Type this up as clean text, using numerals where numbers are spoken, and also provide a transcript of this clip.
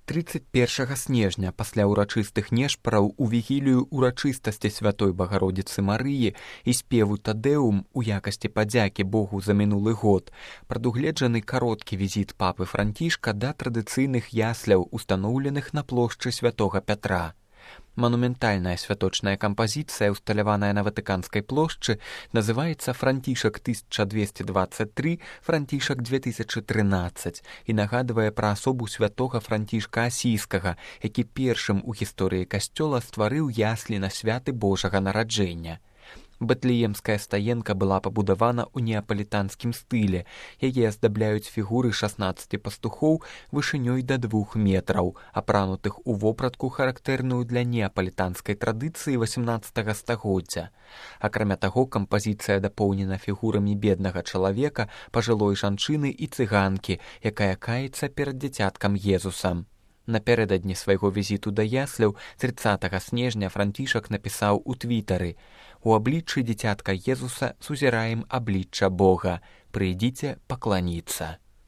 31 снежня пасля ўрачыстых нешпараў у вігілію ўрачыстасці святой Багародзіцы Марыі і спеву Тадэум у якасці падзякі Богу за мінулы год прадугледжаны кароткі візіт папы Францішка да традыцыйных ясляў, устаноўленых на плошчы святога Пятра. Манументальная святочная кампазіцыя, усталяваная на Ватыканскай плошчы, называецца «Францішак 1223, Францішак 2013» і нагадвае пра асобу святога Францішка Асійскага, які першым у гісторыі касцёла стварыў яслі на святы Божага нараджэння. Бэтлеемская стаенка была пабудавана ў неапалітанскім стылі. Яе аздабляюць фігуры 16 пастухоў вышынёй да 2 метраў, апранутых у вопратку, характэрную для неапалітанскай традыцыі 18 стагоддзя. Акрамя таго, кампазіцыя дапоўнена фігурамі беднага чалавека, пажылой жанчыны і цыганкі, якая каецца перад дзіцяткам Езусам. Напярэдадні свайго візіту да ясляў 30 снежня Францішак напісаў у твітары: «У абліччы дзіцятка Езуса сузіраем аблічча Бога. Прыйдзіце пакланіцца».